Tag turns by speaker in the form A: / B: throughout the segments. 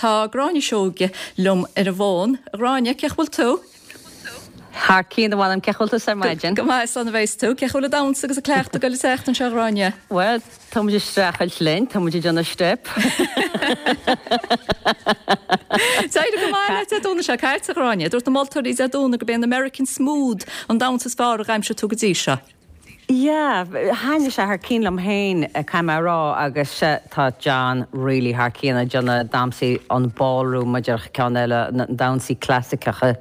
A: Tá Gráinne Seoige liom ar an bhfón. A Ghráinne, cén chaoi bhfuil tú?
B: Thar cionn, a mh'anam, cén chaoi bhfuil tusa ar maidin?
A: Go maith, slán a bheas tú. Cén chaoi bhfuil an damhsa agus an cleachtadh ag goil an tseachtain seo, a Ghráinne?
B: Bhuel, tá muid ag streachailt linn, tá muid ag déanamh steip.
A: D'éirigh go maith leat Dé Domhnaigh seo caite, a Ghráinne. Dúirt na moltóirí Dé Domhnaigh gurb é an American Smooth an damhsa is fearr a dhaimsigh tú go dtí seo.
B: Yeah, thaitnigh sé thar cionn liom féin, caithfidh mé a rá, agus tá John really thar cionn ag déanamh damhsaí an ballroom, mar a déarfadh ceann eile, na damhsaí clasaiceacha.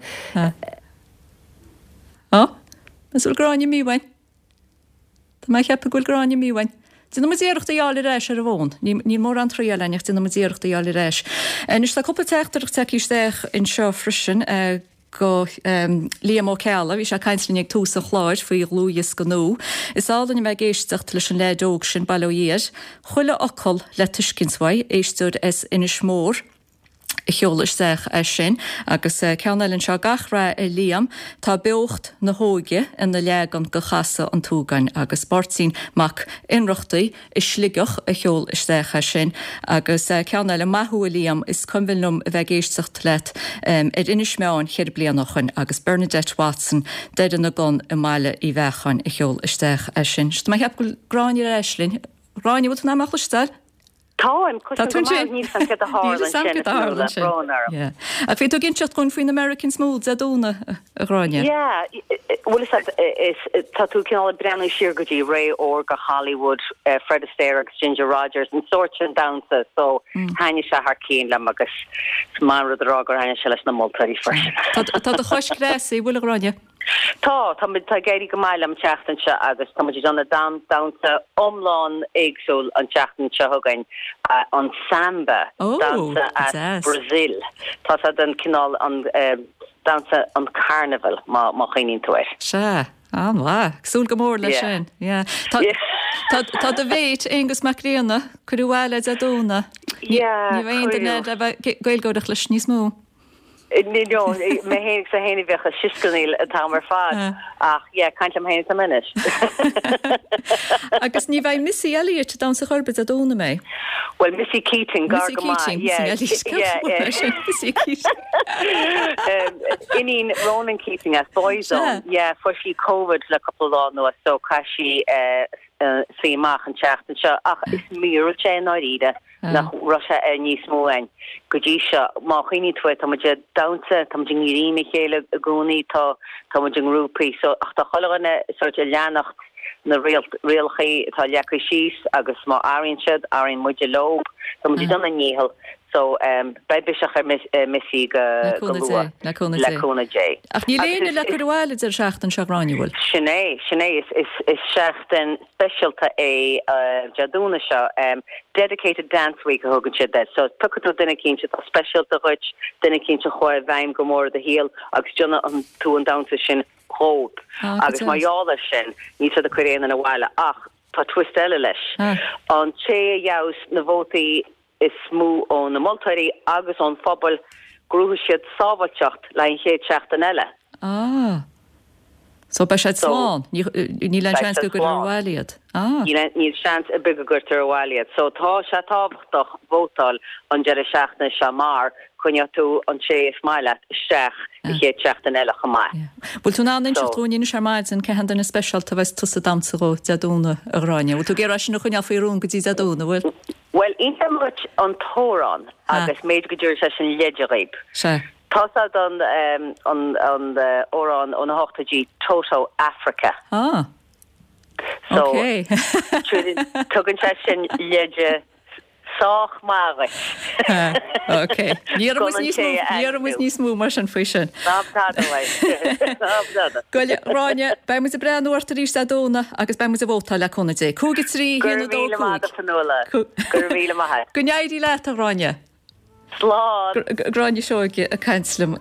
A: Ó, is bhfuil Gráinne imithe uainn? Tá mé ag ceapadh go bhfuil Gráinne imithe uainn. Déanfaidh muid iarracht í a fháil ar ais ar an bhfón. Níl mórán triail againn ach déanfaidh muid iarracht í a fháil ar ais. Anois tá cúpla teachtaireacht tagtha isteach anseo freisin. go Liam Ó Ceallaigh, bhí sé ag caint linn ag tús an chláir faoi dhlúthdhiosca nua. Is álainn a bheith ag éisteacht leis an leaid óg sin, bail ó Dhia air. Chuile fhocal le tuiscint uaidh, éisteoir as Inis Mór a sheol isteach é sin. Agus ceann eile anseo, gach rath ar Liam, tá beocht na hóige ina leagan de Chasadh an tSúgáin agus Máirtín Mac Ionnrachtaigh i Sligeach a sheol isteach é sin. Agus ceann eile, maith thú a Liam, is cuimhin liom a bheith ag éisteacht leat ar Inis Meáin cheithre bliana ó shoin agus Bernadette Watson, Doire na gCon i mBaile Uí Bheacháin a sheol isteach é sin. Tá mé ag ceapadh go bhfuil Gráinne ar ais linn. Gráinne, bhfuil tú in ann mé a chloisteáil?
C: Táim, cloisim go maith, níl 'fhios a'm céard a tharla ansin, a Fhionnuala, brón orm.
A: Yeah. Ach bhí tú ag inseacht dhúinn faoin American Smooth Dé Domhnaigh, a Ghráinne.
C: Yeah, bhuel is is tá tú cineál ag breathnú siar go dtí ré órga Hollywood, Fred Astaire agus Ginger Rogers, an sórt sin damhsa, so thaitnigh sé thar cionn liom agus is maith an rud a rá gur thaitnigh sé leis na moltóirí freisin.
A: Tá do chois cneasaithe, bhfuil, a Ghráinne?
C: Tá, tá muid, tá ag éirí go maith liom an tseachtain seo agus tá muid ag déanamh damhsa iomlán éagsúil an tseachtain seo chugainn, an samba, damhsa as Brazil. Tá sé den cineál an damhsa an carnival má má chuimhníonn tú air.
A: Sea, an-mhaith. Ag súil go mór leis sin. Yeah. Tá tá tá do mhéit, Aonghus Mac Grianna, cuireadh abhaile Dé Domhnaigh. Ní ní bheidh aon duine le bheith ag Gaeilgeoireacht leis níos mó.
C: No, mé féin agus é féin a bheadh ag sioscarnaíl an t-am ar fad ach yeah, caint liom féin atá mé anois.
A: Agus ní bheidh Missy Elliott ag damhsa chor ar bith Dé Domhnaigh an mbeidh?
C: Bhuel, Missy Keating, gar go maith.
A: Missy Keating, Missy Elliott, cén fáth é sin? Missy Keating.
C: Iníon Ronan Keating as Boyzone, yeah, fuair sí Covid le cúpla lá anuas so caithfidh sí suí amach an tseachtain seo ach is míorúilt é i ndáiríre nach raibh sé ar níos mó againn go dtí seo. Má chuimhníonn tú air, tá muid ag damhsa, tá muid i ngrím a chéile i gcónaí, tá tá muid i ngrúpaí so ach tá chuile dhuine sórt ag leanacht na rialachaí atá leagtha síos agus má athraíonn siad, athraíonn muide leo. Tá muid ag déanamh ár ndícheall so beidh biseach ar Missy go luath,
A: le cúnamh
C: Dé.
A: Ach níl éinne le cur abhaile an deireadh seachtaine seo, a Ghráinne, bhfuil?
C: Sin é, sin é. Is seachtain speisialta é Dé Domhnaigh seo. Dedicated Dance Week a thugann siad air. So piocfaidh tú duine eicínt atá speisialta dhuit, duine eicínt a chuaigh i bhfeidhm go mór i do shaol agus déanfaidh tú an damhsa sin dhóibh. Agus mar gheall air sin, níl siad ag cur aon duine abhaile. Ach tá twist eile leis. An té a gheobhas na vótaí is mó ó na moltóirí agus ón phobal, gnóthóidh siad sábháilteacht le haghaidh an chéad seachtain eile.
A: Ah. So beidh siad slán. Níl aon seans go gcuirfear abhaile iad.
C: Ah. Níl seans ar bith go gcuirtear abhaile iad. So tá sé tábhachtach vótáil an deireadh seachtaine seo mar coinneoidh tú an té is maith leat isteach an chéad seachtain eile chomh maith.
A: Bhfuil tú in ann inseacht dúinn anois ar maidin cé han duine speisialta a bheas tusa ag damhsa dhó Dé Domhnaigh, a Ghráinne? Bhfuil tú ag iarraidh sin a choinneáil faoi rún go dtí Dé Domhnaigh, bhfuil?
C: Bhuel, inseoidh mé duit an t-amhrán agus b'fhéidir go dtabharfaidh sé sin leide dhaoib.
A: Sea.
C: Tá sé don an amhrán ó na hochtóidí Toto Africa.
A: Ah.
C: So, Ok. tugann sé sin leide sách maith dhuit.
A: Ok. Ní déarfaidh muid níos mó, ní déarfaidh muid níos mó mar sin faoi sin.
C: Ná tada uaidh. Ná
A: tada. Bhuel, a Ghráinne, beidh muid ag breathnú ort arís Dé Domhnaigh agus beidh muid ag vótáil le cúnamh Dé. 5, 3, 1, 2, 5.
C: Fionnuala. Go raibh míle maith agat.
A: Go n-éirí leat, a Ghráinne.
C: Slán.
A: Gráinne Seoige ag caint liom.